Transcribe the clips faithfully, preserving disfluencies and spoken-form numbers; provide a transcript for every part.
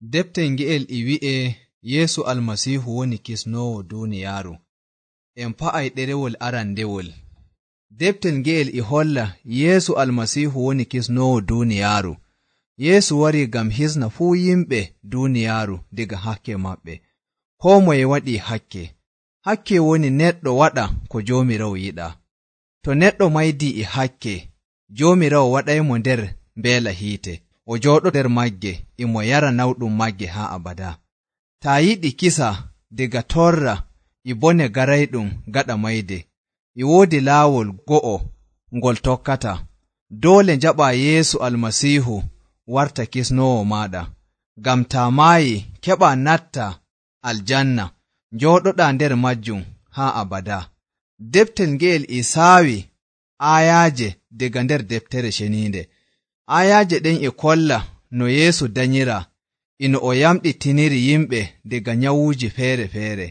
Defte nge'el e wi'e Yeesu Almasiihu woni kisnoowo duuniyaaru. En pa'ay ɗerewol arandewol. Deftel nge'el e holla Yeesu Almasiihu woni kisnoowo duuniyaaru. Yeesu warii ngam hisna fuu yimɓe duuniyaaru diga hakke maɓɓe. Koo moye waɗii hakke. Hakke woni neɗɗo waɗa ko Joomiraawo yiɗaa. To neɗɗo maydii e hakke, Joomiraawo waɗaymo nder mbeela hiite. O jooɗo nder magge, e mo yara nawɗum magge haa abada. Taa yiɗi kisa diga torra e bone garayɗum gaɗa mayde, e woodi laawol go'o ngol tokkata. Doole njaɓaa Yeesu Almasiihu warta kisnoowo maaɗa, ngam taa maayi keɓaa natta aljanna, njooɗoɗaa nder majjum haa abada. Deftel nge'el e saawi aayaaje diga nder deftere ceniinde. Aayaaje ɗen e kolla no Yeesu danyiraa, ino o yamɗitiniri yimɓe diga nyawuuji feere-feere,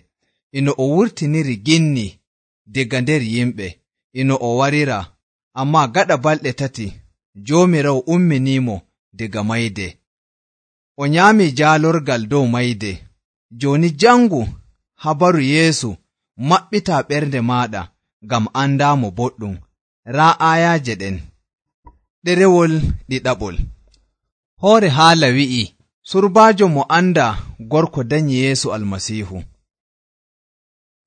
ino o wurtiniri ginni diga nder yimɓe, ino o wariraa, ammaa gaɗa balɗe tati Joomiraawo umminiimo diga mayde. O nyaamii jaalorgal dow mayde. Jooni jangu habaru Yeesu, maɓɓitaa ɓernde maaɗa ngam andaamo boɗɗum. Raa aayaaje ɗen. Ɗerewol ɗiɗaɓol. Hoore haala wi'i, surbaajo mo andaa gorko danyi Yeesu Almasiihu.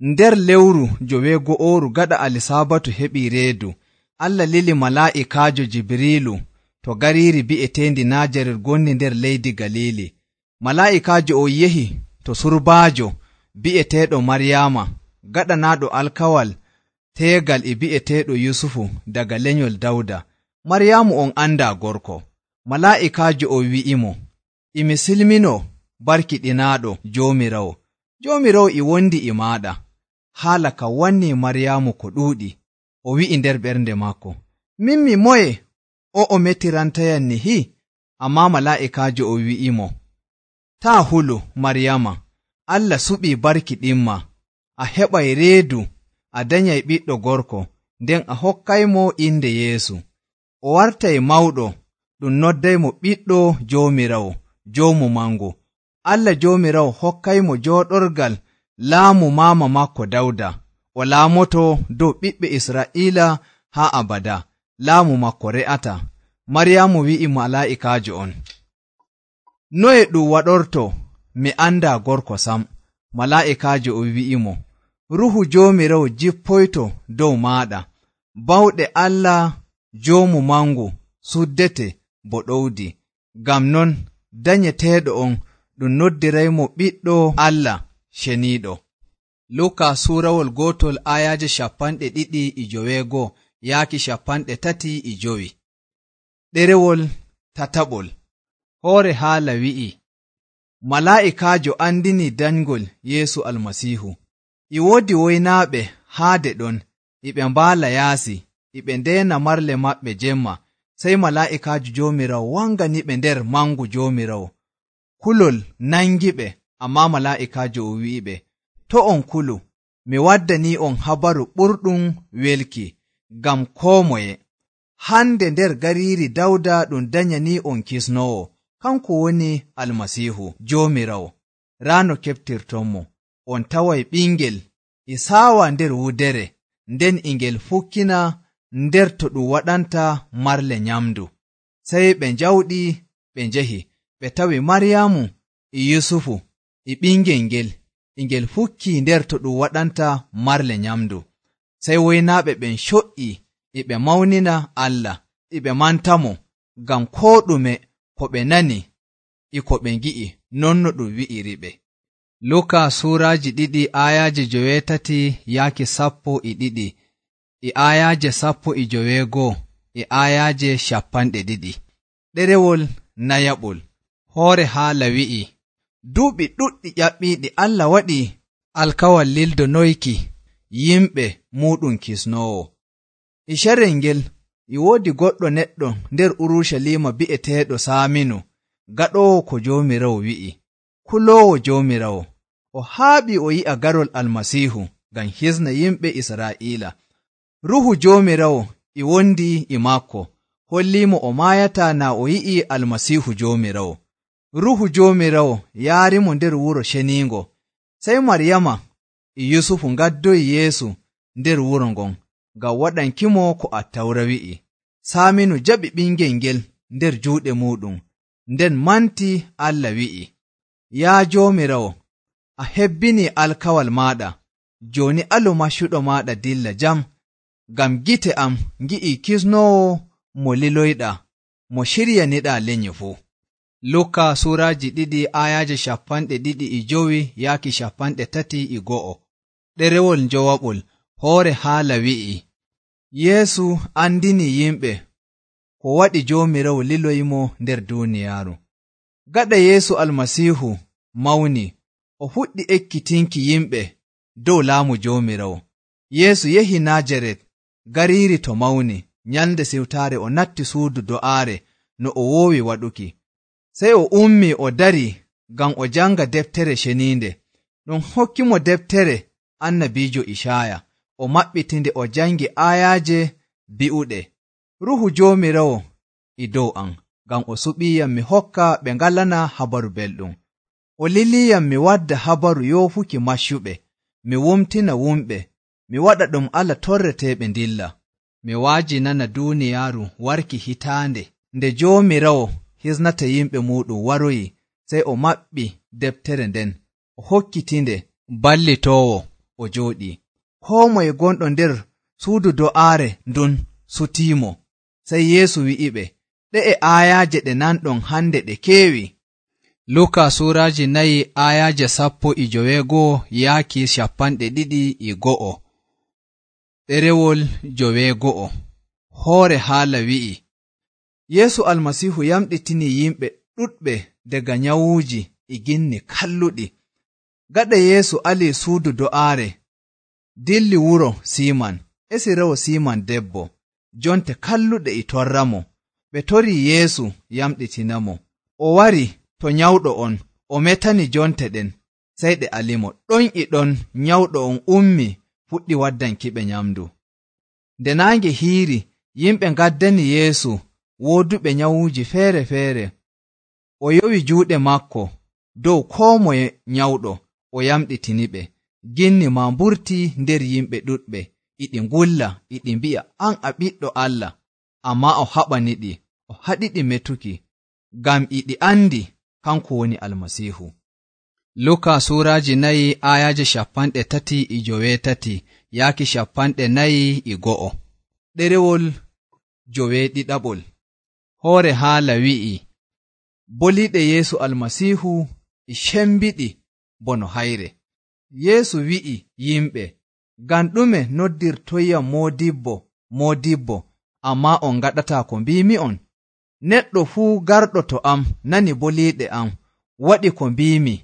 Nder lewru joweego'ooru gaɗa Alisabatu heɓii reedu, Allah lili malaa'ikaajo Jibriilu to gariiri bi'eteendi Naajaret gonni nder leydi Galiili. Malaa'ikaajo o yehi to surbaajo bi'eteeɗo Maryaama, gaɗanaaɗo alkawal teegal e bi'eteeɗo Yusufu daga lenyol Dawda. Maryaamu on andaa gorko. Malaa'ikaajo o wi'imo, imi silminoo barkiɗinaaɗo Joomiraawo. Joomiraawo e wondi e maaɗa. Haala ka wannii Maryaamu ko ɗuuɗi. O wi'i nder ɓernde maako, min mi moye o'o metirantayam nihi? Ammaa malaa'ikaajo o wi'imo, taa hulu Maryaama, Allah suɓii barkiɗinma, a heɓay reedu, a danyay ɓiɗɗo gorko, nden a hokkaymo inde Yeesu. O wartay mawɗo, ɗum noddaymo ɓiɗɗo Joomiraawo, Joomu Mangu. Allah Joomiraawo hokkaymo jooɗorgal laamu maama maako Dawda. O laamoto dow ɓiɓɓe Israa'iila haa abada. Laamu maako re'ata. Maryaamu wi'i malaa'ikaajo on, noye ɗum waɗorto mi andaa gorko sam? Malaa'ikaajo o wi'imo, Ruhu Joomiraawo jippoyto dow maaɗa. Bawɗe Allah Joomu Mangu suddete bo ɗowdi. Ngam non danyeteeɗo on ɗum noddiraymo ɓiɗɗo Allah ceniiɗo. Luka suurawol gootol ayaaje cappanɗe ɗiɗi e joweego yaaki cappanɗe tati e jowi. Ɗerewol tataɓol. Hoore haala wi'i, malaa'ikaajo andini danygol Yeesu Almasiihu. E woodi woynaaɓe haade ɗon, e ɓe mbaala yaasi, e ɓe ndeena marle maɓɓe jemma. Sey malaa'ikaajo Joomiraawo wanganiɓe nder mangu Joomiraawo. Kulol nangiɓe, ammaa malaa'ikaajo o wi'iɓe, to on kulu, mi waddanii on habaru ɓurɗum welki, ngam koo moye. Hande nder gariiri Dawda ɗum danyanii on kisnoowo, kanko woni Almasiihu Joomiraawo. Raa no keɓtirtonmo, on taway ɓingel e saawa nder wudere, nden e ngel fukkina nder to ɗum waɗanta marle nyamdu. Sey ɓe njawɗi ɓe njehi, ɓe tawi Maryaamu e Yusufu e ɓingel ngel, e ngel fukkii nder to ɗum waɗanta marle nyamdu. Sey woynaaɓe ɓen coƴƴi e ɓe mawnina Allah, e ɓe mantamo ngam koo ɗume ko ɓe nani e ko ɓe ngi'i, non no ɗum wi'iriɓe. Luka suuraaji ɗiɗi ayaaje joweetati yaaki sappo e ɗiɗi, e ayaaje sappo e joweegoo, e ayaaje cappanɗe ɗiɗi. Ɗerewol nayaɓol. Hoore haala wi'i, duuɓi ɗuɗɗi ƴaɓɓiiɗi Allah waɗi alkawal lildonoyki yimɓe muuɗum kisnoowo. E carel ngel e woodi goɗɗo neɗɗo nder Urucaliima bi'eteeɗo Saaminu, gaɗoowo ko Joomiraawo wi'i, kuloowo Joomiraawo. O haaɓi o yi'a garol Almasiihu ngam hisna yimɓe Israa'iila. Ruhu Joomiraawo e wondi e maako, holliimo o maayataa naa o yi'i Almasiihu Joomiraawo. Ruhu Joomiraawo yaarimo nder wuro ceniingo. Sey Maryama e Yusufu ngaddoyi Yeesu nder wuro ngon ngam waɗankimo ko Attawra wi'i. Saaminu jaɓi ɓingel ngel nder juuɗe muuɗum, nden manti Allah wi'i, yaa Joomiraawo, a hebbinii alkawal maaɗa, jooni alu maccuɗo maaɗa dilla jam, ngam gite am ngi'ii kisnoowo mo liloyɗaa, mo ciryaniɗaa lenyi fuu. Luka suuraaji ɗiɗi ayaaje cappanɗe ɗiɗi e jowi yaaki cappanɗe tati e go'o. Ɗerewol njowaɓol hoore haala wi'i, Yeesu andinii yimɓe ko waɗi Joomiraawo liloyimo nder duuniyaaru. Gaɗa Yeesu Almasiihu mawni, o fuɗɗi ekkitinki yimɓe dow laamu Joomiraawo. Yeesu yehi Najaret, gariiri to mawni. Nyalnde siwtaare o natti suudu do'aare no o woowi waɗuki. Sey o ummii o darii ngam o janga deftere ceniinde. Ɗum hokkimo deftere annabiijo Icaya. O maɓɓitinde o jangi aayaaje bi'uɗe, Ruhu Joomiraawo e dow am, ngam o suɓiiyam mi hokka ɓe ngalana habaru belɗum. O liliiyam mi wadda habaru yoofuki maccuɓe, mi wumtina wumɓe, mi waɗa ɗum Allah torreteeɓe ndilla. Mi waajinana duuniyaaru warki hitaande. Nde Joomiraawo hisnata yimɓe muuɗum waroyi, sey o maɓɓi deftere nden, o hokkitinde ballitoowo o jooɗii. Koo moye gonɗo nder suudu do'aare ndun sutiimo. Sey Yeesu wi'iɓe, ɗe'e aayaaje ɗe nanɗon hande ɗe keewi. Luka suuraaji nayi aayaaje sappo e joweego'o yaaki cappanɗe ɗiɗi e go'o. Ɗerewol joweego'o hoore haala wi'i, Yeesu Almasiihu yamɗitinii yimɓe ɗuɗɓe daga nyawuuji e ginni kalluɗi. Gaɗa Yeesu alii suudu do'aare, dilli wuro Siiman, esiraawo Siiman debbo. Jonte kalluɗe e torramo. Ɓe torii Yeesu yamɗitinamo. O wari to nyawɗo on, o metani jonte ɗen, sey ɗe alimo. Ɗon e ɗon nyawɗo on ummi fuɗɗi waddankiɓe nyamdu. Nde naange hiiri, yimɓe ngaddani Yeesu wooduɓe nyawuuji feere-feere. O yowi juuɗe makko dow koo moye nyawɗo, o yamɗitiniɓe. Ginni maa mburtii nder yimɓe ɗuɗɓe, iɗi ngulla, iɗi mbi'a, an a ɓiɗɗo Allah, ammaa o haɓaniɗi, o haɗiɗi metuki, ngam iɗi andi kanko woni Almasiihu. Luka suuraaji nayi aayaaje cappanɗe tati e joweetati yaaki cappanɗe nayi e go'o. Ɗerewol joweeɗiɗaɓol hoore haala wi'i, boliiɗe Yeesu Almasiihu e cembiɗi bono hayre. Yeesu wi'i yimɓe, ngam ɗume noddirtoyyam moodibbo moodibbo, ammaa on ngaɗataa ko mbiimi'on? Neɗɗo fuu garɗo to am nani boliiɗe am, waɗi ko mbiimi,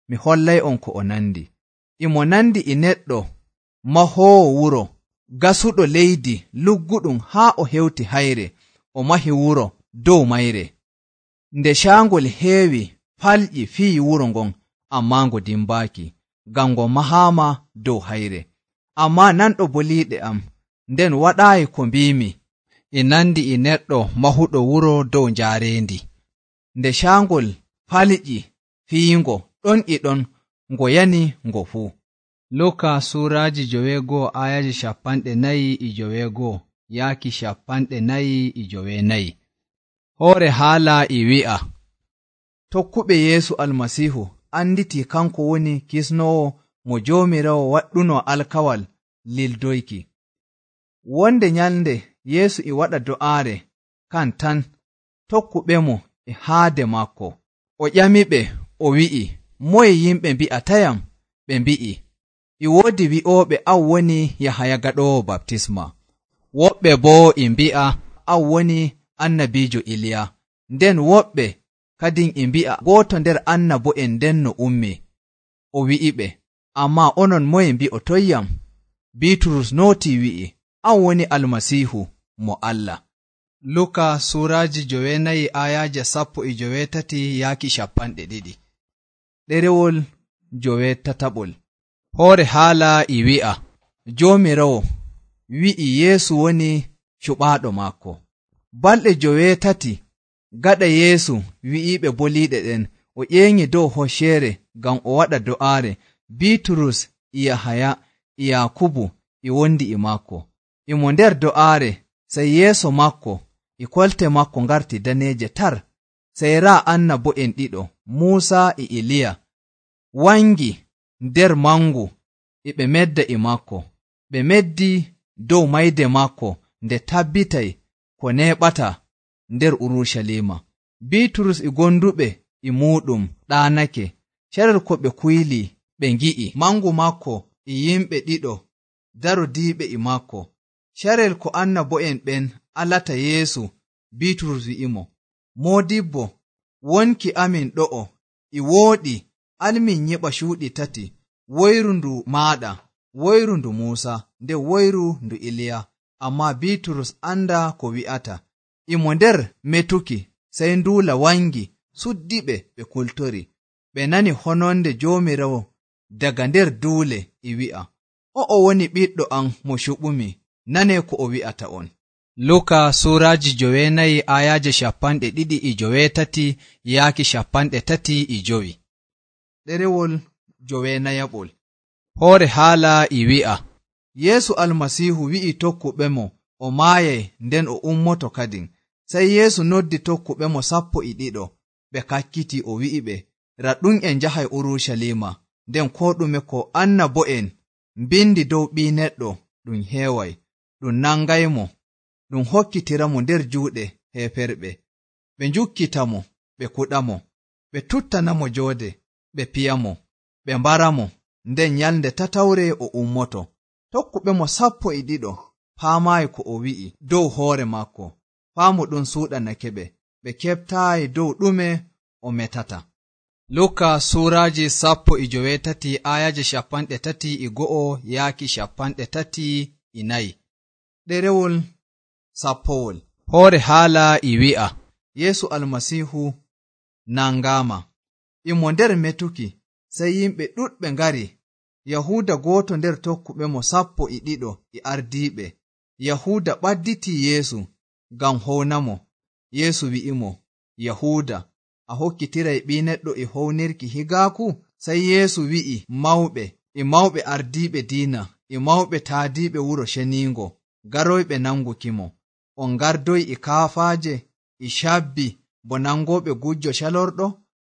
mi hollay'on ko o nandi. Imo nandi e neɗɗo mahoowo wuro, gasuɗo leydi lugguɗum haa o hewti hayre, o mahi wuro dow mayre. Nde caangol heewi, falƴi fiyi wuro ngon, ammaa ngo dimbaaki, ngam ngo mahaama dow hayre. Ammaa nanɗo boliiɗe am, nden waɗaayi ko mbiimi, e nandi e neɗɗo mahuɗo wuro dow njaarendi. Nde caangol falƴi fiyingo, ɗon e ɗon ngo yani ngo fuu. Luka suuraaji joweego'o aayaji cappanɗe nayi e joweego'o yaaki cappanɗe nayi e joweenayi. Hoore haala e wi'a, tokkuɓe Yeesu Almasiihu anditii kanko woni kisnoowo mo Joomiraawo waɗɗuno alkawal lildoyki. Wonde nyalnde Yeesu e waɗa do'aare kan tan, tokkuɓemo e haade makko. O ƴamiɓe, o wi'i, moye yimɓe mbi'atayam? Ɓe mbi'i, e woodi wi'ooɓe an woni Yahaya gaɗoowo baptisma, woɓɓe boo e mbi'a an woni annabiijo Iliya, nden woɓɓe kadin e mbi'a gooto nder annabo'en nden no ummi. O wi'iɓe, ammaa onon moye mbi'otoyyam? Biiturus nootii wi'i, an woni Almasiihu mo Allah. Luka suuraaji joweenayi aayaaje sappo e joweetati yaaki cappanɗe ɗiɗi. Ɗerewol joweetataɓol hoore haala e wi'a, Joomiraawo wi'i Yeesu woni cuɓaaɗo maako. Balɗe joweetati gaɗa Yeesu wi'iiɓe boliiɗe ɗen, o ƴeengi dow hocceere ngam o waɗa do'aare. Biiturus e Yahaya e Yaakubu e wondi e maako. E mo nder do'aare, sey yeeso maako e kolte maako ngarti daneeje tar. Sey raa annabo'en ɗiɗo, Muusa e Iliya, wangi nder mangu e ɓe medda e maako. Ɓe meddi dow mayde maako nde tabbitay ko neeɓata nder Urucaliima. Biiturus e gonduɓe e muuɗum ɗaanake. Carel ko ɓe kuylii ɓe ngi'i mangu maako e yimɓe ɗiɗo darodiiɓe e maako. Carel ko annabo'en ɓen alata Yeesu, Biiturus wi'imo, Moodibbo, wonki amin ɗo'o e wooɗi, almin nyiɓa cuuɗi tati, woyru ndu maaɗa, woyru ndu Muusa, nden woyru ndu Iliya. Ammaa Biiturus anda ko wi'ata. E mo nder metuki, sey nduula wangi suddiɓe ɓe kultori. Ɓe nani hononde Joomiraawo daga nder duule e wi'a, o'o woni ɓiɗɗo am mo cuɓumi, nanee ko o wi'ata on. Luka suuraaji joweenayi ayaaje cappanɗe ɗiɗi e joweetati yaaki cappanɗe tati e jowi. Ɗerewol joweenayaɓol. Hoore haala e wi'a, Yeesu Almasiihu wi'i tokkuɓemo o maayay nden o ummoto kadin. Sey Yeesu noddi tokkuɓemo sappo e ɗiɗo, ɓe kakkiti o wi'iɓe, raɗɗum en njahay Urucaliima, nden koo ɗume ko annabo'en mbindi dow Ɓii Neɗɗo ɗum heeway. Ɗum nangaymo, ɗum hokkitiramo nder juuɗe heeferɓe. Ɓe njukkitamo, ɓe kuɗamo, ɓe tuttanamo joode, ɓe piyamo, ɓe mbaramo, nden nyalnde tatawre o ummoto. Tokkuɓemo sappo e ɗiɗo paamaayi ko o wi'i dow hoore maako. Faamu ɗum suuɗanake ɓe, ɓe keɓtaayi dow ɗume o metata. Luka suuraaji sappo e joweetati ayaje cappanɗe tati e go'o yaaki cappanɗe tati e nayi. Ɗerewol sappowol. Hoore haala e wi'a, Yeesu Almasiihu nangaama. E mo nder metuki, sey yimɓe ɗuɗɓe ngari. Yahuuda gooto nder tokkuɓemo sappo e ɗiɗo e ardiiɓe. Yahuuda ɓadditii Yeesu ngam hownamo. Yeesu wi'imo, Yahuuda, a hokkitiray Ɓii Neɗɗo e hownirki higaaku? Sey Yeesu wi'i mawɓe e mawɓe ardiiɓe diina e mawɓe taadiiɓe wuro ceniingo garoyɓe nangukimo, on gardoy e kaafaaje e cabbi bo nangooɓe gujjo calorɗo?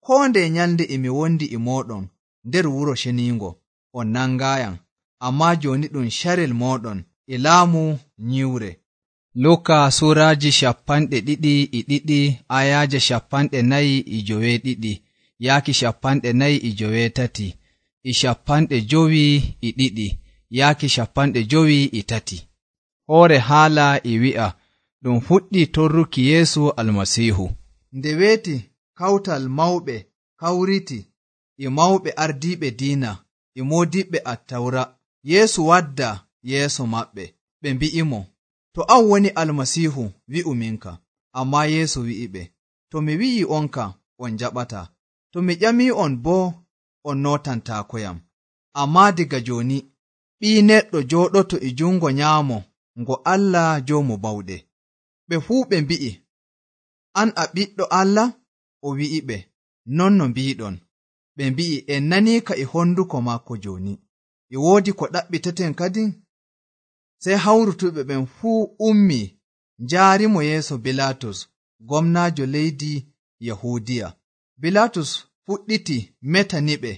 Koo nde nyalnde e mi wondi e mooɗon nder wuro ceniingo, on nangaayam, ammaa jooni ɗum carel mooɗon e laamu nyiwre. Luka suuraaji cappanɗe ɗiɗi e ɗiɗi ayaaje cappanɗe nayi e joweeɗiɗi yaaki cappanɗe nayi e joweetati e cappanɗe jowi e ɗiɗi yaaki cappanɗe jowi e tati. Hoore haala e wi'a, ɗum fuɗɗi torruki Yeesu Almasiihu. Nde weeti kawtal mawɓe kawriti e mawɓe ardiiɓe diina e moodiɓɓe attawra, Yeesu wadda yeeso maɓɓe. Ɓe mbi'imo, to an woni Almasiihu, wi'u minka. Ammaa Yeesu wi'iɓe, to mi wi'i onka, on jaɓata. To mi ƴami'on boo, on nootantaakoyam. Ammaa diga jooni, Ɓii Neɗɗo jooɗoto e jungo nyaamo ngo Allah Joomu Bawɗe. Ɓe fuu ɓe mbi'i, an a ɓiɗɗo Allah? O wi'iɓe, non no mbiiɗon. Ɓe mbi'i, en naniika e honduko maako jooni. E woodi ko ɗaɓɓiteten kadin? Sey hawrutuɓe ɓen fuu ummii njaarimo yeeso Bilaatus, gomnaajo leydi Yahuudiya. Bilaatus fuɗɗiti metaniɓe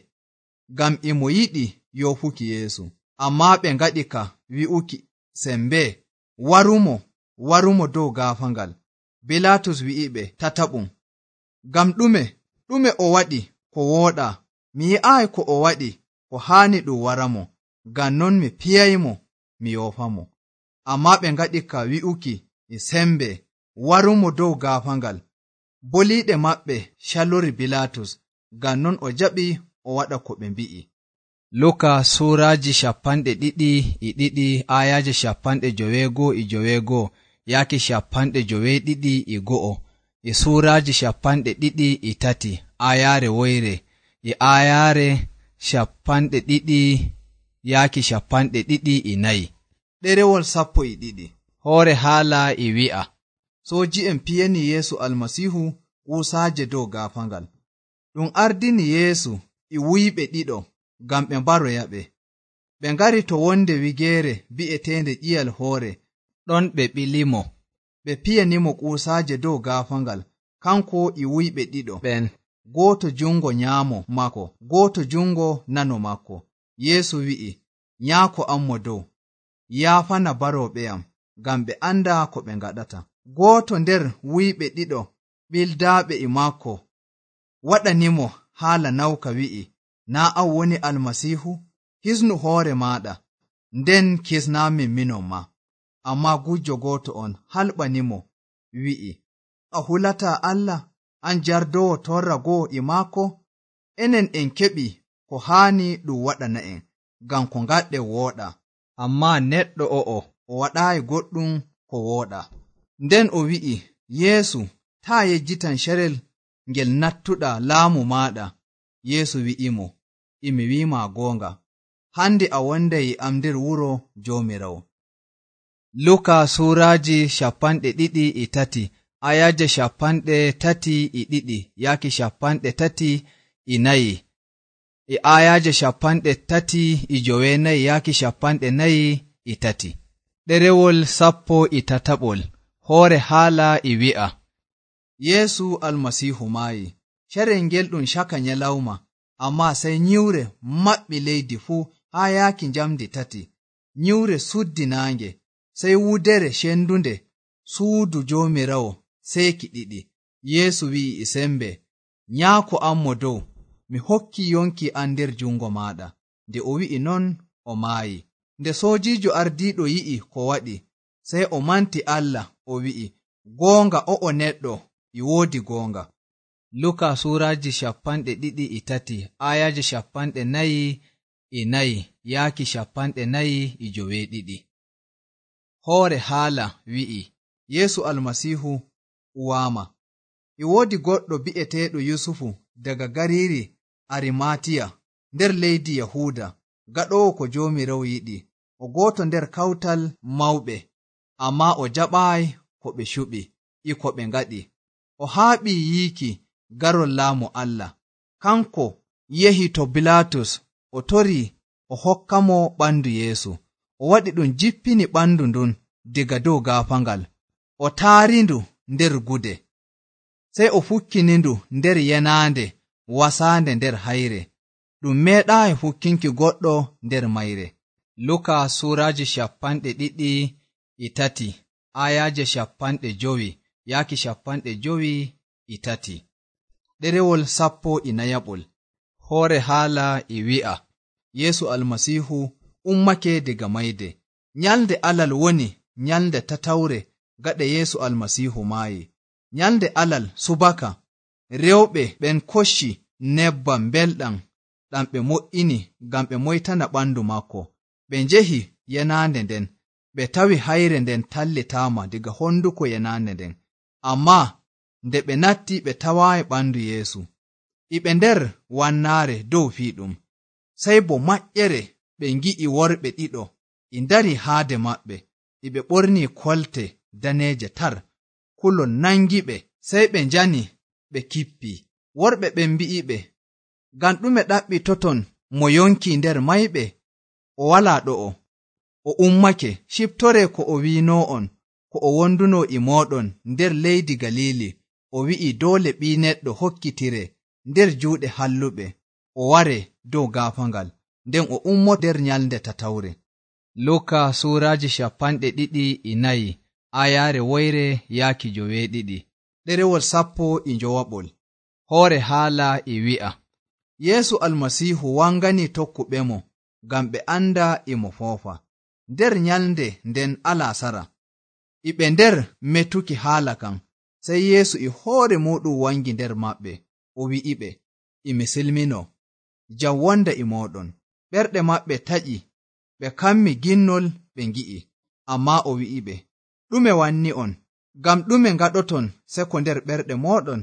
ngam e mo yiɗi yoofuki Yeesu. Ammaa ɓe ngaɗi ka wi'uki sembe, warumo, warumo dow gaafangal. Bilaatus wi'iɓe tataɓum, ngam ɗume, ɗume o waɗi ko wooɗa? Mi yi'aayi ko o waɗi ko haani ɗum waramo, ngam non mi piyaymo mi yoofamo. Ammaa ɓe ngaɗi ka wi'uki e sembe, warumo dow gaafangal. Boliiɗe maɓɓe calori Bilaatus, ngam non o jaɓi o waɗa ko ɓe mbi'i. Luka suuraaji cappanɗe ɗiɗi e ɗiɗi ayaaje cappanɗe joweego e joweego yaaki cappanɗe joweeɗiɗi e go'o e suuraaji cappanɗe ɗiɗi e tati ayaare woyre e ayaare cappanɗe ɗiɗi yaaki cappanɗe ɗiɗi e nayi. Ɗerewol sappo e ɗiɗi. Hoore haala e wi'a, sooji'en piyani Yeesu Almasiihu kuusaaje dow gaafangal. Ɗum ardini Yeesu e wuyɓe ɗiɗo ngam ɓe mbaroyaɓe. Ɓe ngari to wonde wigeere bi'eteende ƴiyal hoore, ɗon ɓe ɓilimo. Ɓe piyanimo kuusaaje dow gaafangal, kanko e wuyɓe ɗiɗo ɓen, gooto jungo nyaamo maako, gooto jungo nano maako. Yeesu wi'i, Nyaako am mo dow, yaafana barooɓeyam, ngam ɓe anda ko ɓe ngaɗata. Gooto nder wuyɓe ɗiɗo ɓildaaɓe e maako waɗanimo haala nawka wi'i, Naa an woni Almasiihu? Hisnu hoore maaɗa, nden kisnaamin minon maa. Ammaa gujjo gooto on halɓanimo wi'i, A hulataa Allah, an jardowo torra go'o e maako? Enen en keɓi ko haani ɗum waɗana'en, ngam ko ngaɗɗen wooɗa. Ammaa neɗɗo o'o o waɗaayi goɗɗum ko wooɗa. Nden o wi'i, Yeesu, taa yejjitan carel ngel nattuɗaa laamu maaɗa. Yeesu wi'imo, E mi wi'ima goonga, hande a wonday e am nder wuro Joomiraawo. Luka suuraaji shapanɗe ɗiɗi e tati, ayaje shapanɗe tati e ɗiɗi yaaki shapanɗe tati e nayi, e ayaje shapanɗe tati e jowenayi yaaki shapanɗe nayi e tati. Ɗerewol sappo e tataɓol. Hoore haala e wi'a, Yeesu Almasiihu maayi. Carel ngel ɗum caka nyalawma, ammaa sey nyiwre maɓɓi leydi fuu haa yaaki njamdi tati. Nyiwre suddi naange, sey wudere cendunde suudu Joomiraawo seeki ɗiɗi. Yeesu wi'i e sembe, Nyaako am mo dow, mi hokki yonki an nder jungo maaɗa. Nde o wi'i non, o maayi. Nde soojiijo ardiiɗo yi'i ko waɗi, sey o manti Allah, o wi'i, Goonga o'o neɗɗo e woodi goonga. Luka suuraaji shapanɗe ɗiɗi e tati, ayaje shapanɗe nayi e nayi yaaki shapanɗe nayi e joweeɗiɗi. Hoore haala wi'i, Yeesu Almasiihu uwaama. E woodi goɗɗo bi'eteeɗo Yusufu daga gariiri Arimaatiya nder leydi Yahuuda, gaɗoowo ko Joomiraawo yiɗi, o gooto nder kawtal mawɓe, ammaa o jaɓaayi ko ɓe cuɓi e ko ɓe ngaɗi. O haaɓii yiiki garol laamu Allah. Kanko yehi to Bilaatus, o torii o hokkamo ɓandu Yeesu. O waɗi ɗum jippini ɓandu ndun diga dow gaafangal, o taarindu nder gude, sey o fukkinindu nder yenaande wasaande nder hayre. Ɗum meeɗaayi fukkinki goɗɗo nder mayre. Luka suuraaji shapanɗe ɗiɗi e tati, ayaje shapanɗe jowi yaaki shapanɗe jowi e tati. Ɗerewol sappo e nayaɓol. Hoore haala e wi'a, Yeesu Almasiihu ummake diga mayde. Nyalde Alal woni nyalde tatawre gaɗa Yeesu Almasiihu maayi. Nyalde Alal subaka, rewɓe ɓen kocci nebbam belɗam ɗam ɓe mo'ini ngam ɓe moytana ɓandu maako. Ɓe njehi yenaande nden, ɓe tawi hayre nden tallitaama diga honduko yenaande nden. Ammaa nde ɓe natti ɓe tawaayi ɓandu Yeesu. E ɓe nder wannaare dow fiiɗum, sey bo maƴƴere ɓe ngi'i worɓe ɗiɗo e ndari haade maɓɓe, e ɓe ɓorni kolte daneeje tar, kulol nangiɓe, sey ɓe njani ɓe kippi. Worɓe ɓen mbi'iɓe, Ngam ɗume ɗaɓɓitoton mo yonki nder mayɓe? O walaa ɗo'o, o ummake. Ciptore ko o wiinoo'on, ko o wonduno e mooɗon nder leydi Galili. O wi'i doole Ɓii Neɗɗo hokkitire nder juuɗe halluɓe, o ware dow gaafangal, nden o ummo nder nyalde tatawre. Luka suuraaji shapanɗe ɗiɗi e nayi, ayaare woyre yaaki joweeɗiɗi. Ɗerewol sappo e njowaɓol. Hoore haala e wi'a, Yeesu Almasiihu wangani tokkuɓemo ngam ɓe anda e mo foofa. Nder nyalde nden alasara, e ɓe nder metuki haala kan, sey Yeesu e hoore muɗum wangi nder maɓɓe, o wi'iɓe, E mi silmino, jam wonda e mooɗon. Ɓerɗe maɓɓe taƴi, ɓe kammi ginnol ɓe ngi'i. Ammaa o wi'iɓe, Ɗume wanni on? Ngam ɗume ngaɗoton seko nder ɓerɗe mooɗon?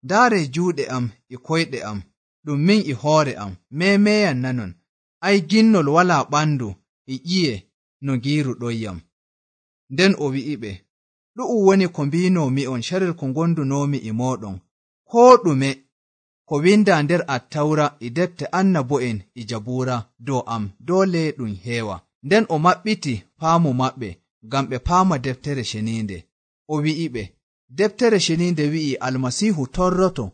Ndaaree juuɗe am e koyɗe am, ɗum min e hoore am, meemeyan nanon. Ay, ginnol walaa ɓandu e ƴiye no ngiiru ɗoyyam. Nden o wi'iɓe, Ɗu'um woni ko mbiinoomi'on carel ko ngondunoomi e mooɗon, koo ɗume ko winda nder Attawra e defte annabo'en e Jabuura dow am doole ɗum heewa. Nden o maɓɓiti faamu maɓɓe ngam ɓe paama deftere ceniinde. O wi'iɓe, deftere ceniinde wi'i Almasiihu torroto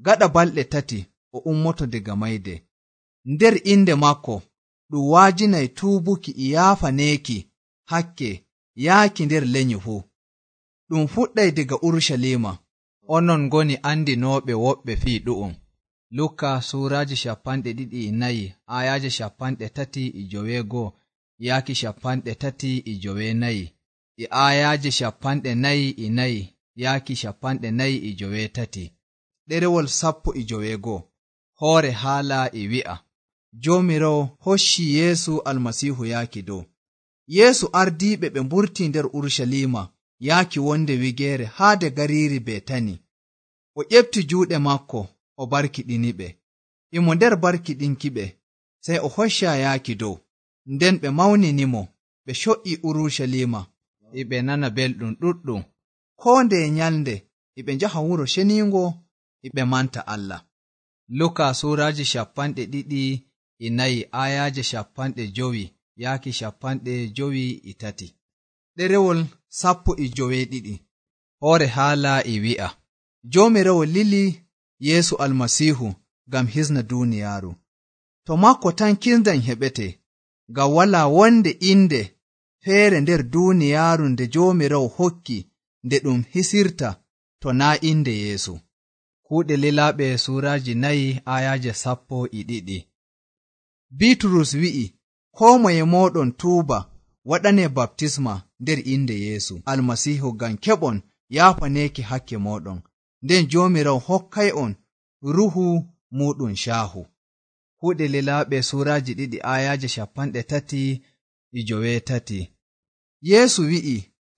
gaɗa balɗe tati o ummoto daga mayde. Nder inde maako ɗum waajinay tuubuki e yaafaneeki hakke yaaki nder lenyi fuu. Ɗum fuɗɗay daga Urusalima. Onon ngoni andinooɓe woɓɓe fii ɗu'um. Luka suuraaji shapanɗe ɗiɗi e nayi ayaaje shapanɗe tati e joweego yaaki shapanɗe tati e joweenayi e ayaaje shapanɗe nayi e nayi yaaki shapanɗe nayi e joweetati. Ɗerewol sappo e joweego. Hoore haala e wi'a Joomiraawo hocci Yeesu Almasiihu yaaki dow. Yeesu ardiiɓe ɓe mburtii nder Urusalima yaaki wonde wigeere haade gariiri Betani. O ƴefti juuɗe maako o barkiɗiniɓe. Imo nder barkiɗinkiɓe sey o hocca yaaki dow. Nden ɓe mawninimo, ɓe co'ii Urusalima e ɓe nana belɗum ɗuɗɗum. Koo ndeye nyalnde e ɓe njaha wuro ceniingo e ɓe manta Allah. Luka suuraaji shapanɗe ɗiɗi e nayi ayaaje shapanɗe jowi yaaki shapanɗe jowi e tati. Ɗerewol sappo e joweeɗiɗi. Hoore haala e wi'a Joomiraawo lili Yeesu Almasiihu ngam hisna duuniyaaru. To maako tan kisndam heɓete, ngam walaa wonde inde feere nder duuniyaaru nde Joomiraawo hokki nde ɗum hisirta to naa inde Yeesu. Kuuɗe lilaaɓe suuraaji nayi ayaaje sappo e ɗiɗi. Biiturus wi'i, koo moye mooɗon tuuba waɗanee baptisma nder inde Yeesu Almasiihu ngam keɓon yaafaneeki hakke mooɗon, nden Joomiraawo hokkay'on ruhu muuɗum caahu. Kuuɗe lilaaɓe suuraaji ɗiɗi ayaaje shapanɗe tati e joweetati. Yeesu wi'i,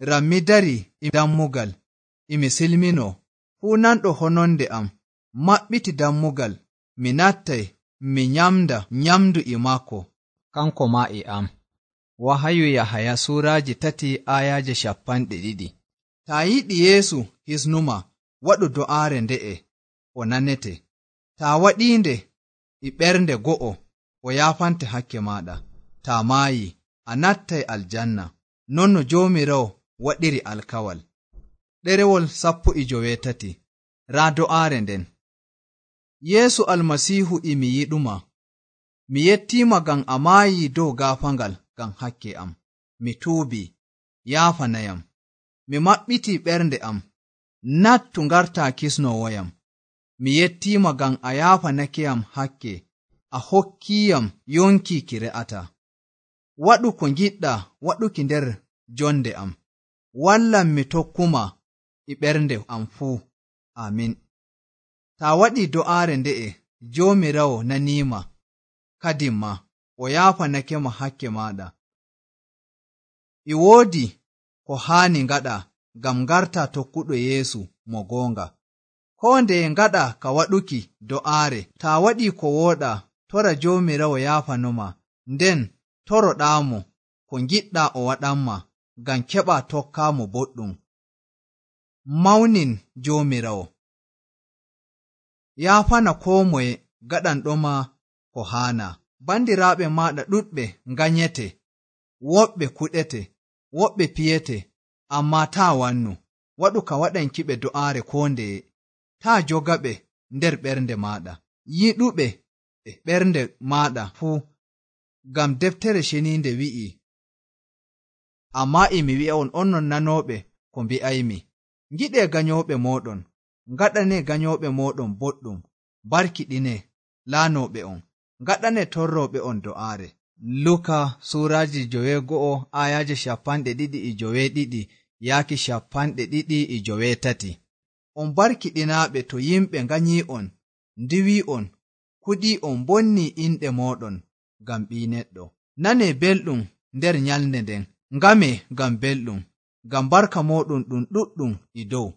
ram mi dari e dammugal e mi silminoo, fuu nanɗo hononde am maɓɓiti dammugal, mi nattay mi nyamda nyamdu e maako, kanko maa e am. Wahayu Yahaya suuraaji tati ayaaje shapanɗe ɗiɗi. Taa yiɗi Yeesu hisnuma, waɗu do'aare nde'e, o nanete. Taa waɗiinde e ɓernde go'o, o yaafante hakke maaɗa. Taa maayi, a nattay aljanna, non no Joomiraawo waɗiri alkawal. Ɗerewol sappo e joweetati. Raa do'aare nden. Yeesu Almasiihu e mi yiɗuma. Mi yettiima ngam a maayi dow gaafangal ngam hakke am. Mi tuubii, yaafanayam. Mi maɓɓitii ɓernde am, nattu ngartaa kisnoowoyam. Mi yettiima ngam a yaafanakeyam hakke, a hokkiiyam yonki ki re'ataa. Waɗu ko ngiɗɗaa waɗuki nder jonde am. Wallam mi tokkuma e ɓernde am fuu. Amin. Taa waɗii do'aare nde'e, Joomiraawo naniima, kadin ma o yaafanakema hakke maaɗa. E woodi ko haani ngaɗa ngam ngartaa tokkuɗo Yeesu mo goonga. Koo ndeye ngaɗa ka waɗuki do'aare. Taa waɗii ko wooɗaa, tora Joomiraawo yaafanoma, nden toroɗaamo ko ngiɗɗaa o waɗanma ngam keɓaa tokkaamo boɗɗum. Mawnin Joomiraawo. Yaafana koo moye gaɗanɗoma ko haana. Bandiraaɓe maaɗa ɗuɗɓe nganyete, woɓɓe kuɗete, woɓɓe piyete, ammaa taa wannu. Waɗu ka waɗankiɓe do'aare koo ndeye. Taa jogaɓe nder ɓernde maaɗa. Yiɗuɓe e ɓernde maaɗa fuu, ngam deftere ceniinde wi'i. Ammaa e mi wi'a'on onon nanooɓe ko mbi'aymi. Ngiɗee ganyooɓe mooɗon, ngaɗanee ganyooɓe mooɗon boɗɗum, barkiɗinee laanooɓe on, ngaɗanee torrooɓe on do'aare. Luka suuraaji joweego'o ayaaje shapanɗe ɗiɗi e joweeɗiɗi yaaki shapanɗe ɗiɗi e joweetati. On barkiɗinaaɓe to yimɓe nganyii'on, ndiwii'on, kuɗii'on, bonnii inɗe mooɗon ngam Ɓii Neɗɗo. Nanee belɗum nder nyalnde nden, ngamee ngam belɗum, ngam barka mooɗon ɗum ɗuɗɗum e dow.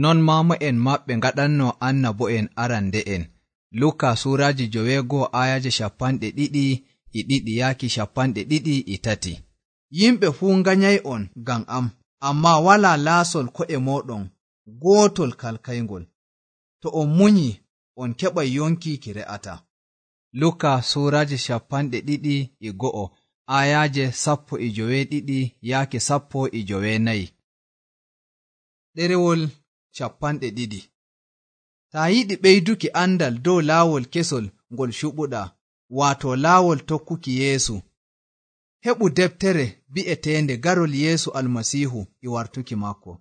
Non maama'en maɓɓe ngaɗannoo annabo'en arande'en. Luka suuraaji joweego ayaaje shapanɗe ɗiɗi e ɗiɗi yaaki shapanɗe ɗiɗi e tati. Yimɓe fuu nganyay'on ngam am, ammaa walaa laasol ko'e mooɗon gootol kalkayngol. To on munyi, on keɓay yonki ki re'ata. Luka suuraje capanɗe ɗiɗi e go'o ayaje sappo e joweeɗiɗi yaake sappo e joweenayi. Ɗerewol capanɗe ɗiɗi. Taa yiɗi ɓeyduki andal dow laawol kesol ngol cuɓuɗa, waato laawol tokkuki Yeesu, heɓu deftere bi'eteende Garol Yeesu Almasiihu e wartuki makko.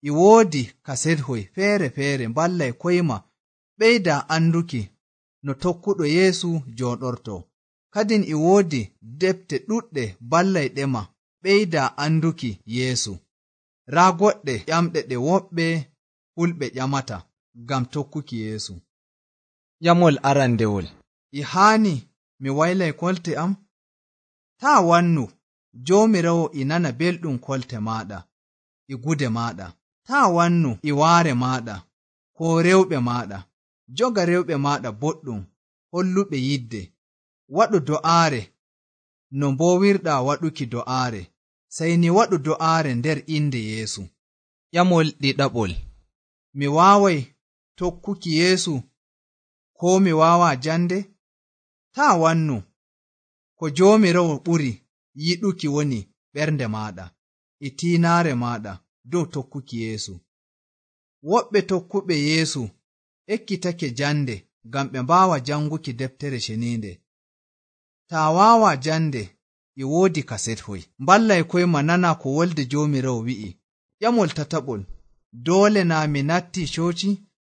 E woodi kasethoy feere-feere mballay koyma ɓeyda anduki no tokkuɗo Yeesu jooɗorto. Kadin e woodi defte ɗuɗɗe ballayɗema ɓeyda anduki Yeesu. Raa goɗɗe ƴamɗe ɗe woɓɓe fulɓe ƴamata ngam tokkuki Yeesu. Ƴamol arandewol. E haani mi waylay kolte am? Taa wannu, Joomiraawo e nana belɗum kolte maaɗa e gude maaɗa. Taa wannu e waare maaɗa koo rewɓe maaɗa. Joga rewɓe maaɗa boɗɗum, holluɓe yidde. Waɗu do'aare no mboowirɗaa waɗuki do'aare, sey ni waɗu do'aare nder inde Yeesu. Ƴamol ɗiɗaɓol. Mi waaway tokkuki Yeesu koo mi waawaa jande? Taa wannu, ko Joomiraawo ɓuri yiɗuki woni ɓernde maaɗa e tiinaare maaɗa dow tokkuki Yeesu. Woɓɓe tokkuɓe Yeesu ekkitake jande ngam ɓe mbaawa janguki deftere ceniinde. Taa waawaa jande, e woodi kasethoy. Mballay koyma nana ko wolde Joomiraawo wi'i. Ƴamol tataɓol. Doole naa mi nattii cooci?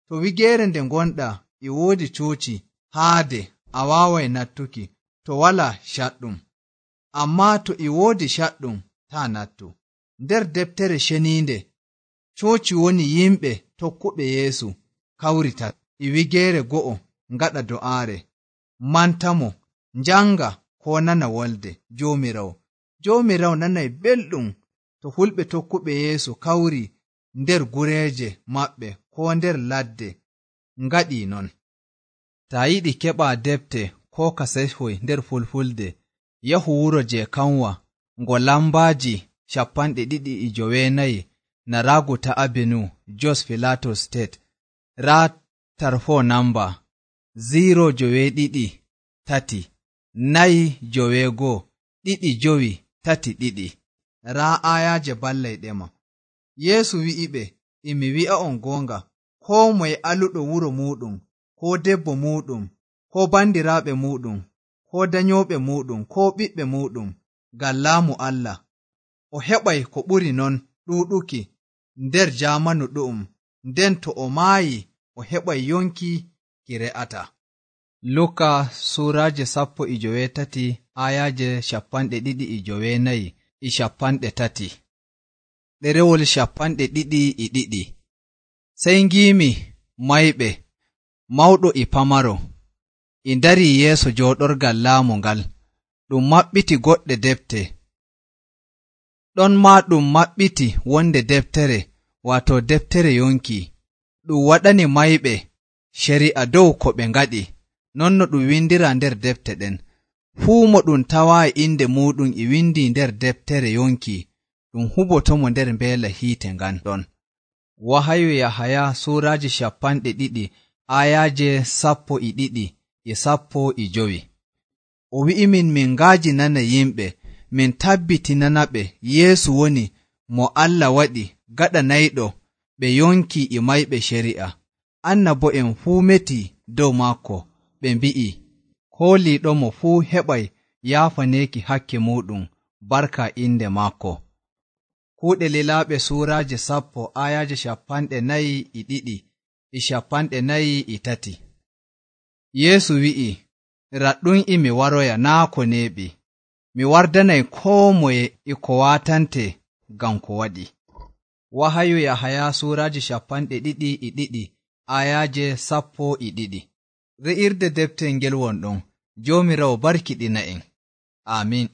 To wigeere nde ngonɗaa e woodi cooci haade, a waaway nattuki to walaa caɗɗum. Ammaa to e woodi caɗɗum, taa nattu. Nder deftere ceniinde, cooci woni yimɓe tokkuɓe Yeesu kawrita e wigeere go'o ngaɗa do'aare, mantamo, njanga koo nana wolde Joomiraawo. Joomiraawo nanay belɗum to fulɓe tokkuɓe Yeesu kawri nder gureeje maɓɓe koo nder ladde ngaɗii non. Taa yiɗi keɓaa defte koo kasethoy nder fulfulde, yahu wuro je kanwa ngo lambaaji capanɗe ɗiɗi e joweenayi Naraguta Avenue, Jos Filato State. Raa tarfo namba zero joweeɗiɗi tati nayi joweegoo ɗiɗi jowi tati ɗiɗi. Raa ayaje ballayɗema. Yeesu wi'iɓe, e mi wi'a'on goonga, koo moye aluɗo wuro muuɗum, koo debbo muuɗum, koo bandiraaɓe muuɗum, koo danyooɓe muuɗum, koo ɓiɓɓe muuɗum, ngam laamu Allah, o heɓay ko ɓuri non ɗuuɗuki nder jaamanu ɗu'um, nden to o maayi o heɓay yonki ki re'ata. Luka suuraaje sappo e joweetati ayaje capanɗe ɗiɗi e joweenayi e capanɗe tati. Ɗerewol capanɗe ɗiɗi e ɗiɗi. Sey ngiimi mayɓe, mawɗo e pamaro, e ndarii yeeso jooɗorgal laamu ngal, ɗum maɓɓiti goɗɗe defte. Ɗon maa ɗum maɓɓiti wonde deftere, waato deftere yonki, ɗum waɗani mayɓe ceri'a dow ko ɓe ngaɗi, non no ɗum windira nder defte ɗen. Fuu mo ɗum tawaayi inde muuɗum e windi nder deftere yonki, ɗum hubotomo nder mbeela hiite ngan ɗon. Wahayu Yahaya suuraaji capanɗe ɗiɗi ayaje sappo e ɗiɗi e sappo e jowi. O wi'imin min ngaajinana yimɓe, min tabbitinanaɓe Yeesu woni mo Allah waɗi gaɗanayɗo ɓe yonki e mayɓe ceri'a. Annabo'en fuu meti dow maako, ɓe mbi'i, kooliiɗomo fuu heɓay yaafaneeki hakke muuɗum barka inde maako. Kuuɗe lilaaɓe suuraaje sappo ayaje capanɗe nayi e ɗiɗi e capanɗe nayi e tati. Yeesu wi'i, raɗɗum e mi waroya naa ko neeɓi, mi wardanay koo moye e ko waatante ngam ko waɗi. Wahayu Yahaya suuraaji capanɗe ɗiɗi e ɗiɗi ayaje sappo e ɗiɗi. Re'irde deftel ngel won ɗon. Joomiraawo barkiɗina en. Aamin.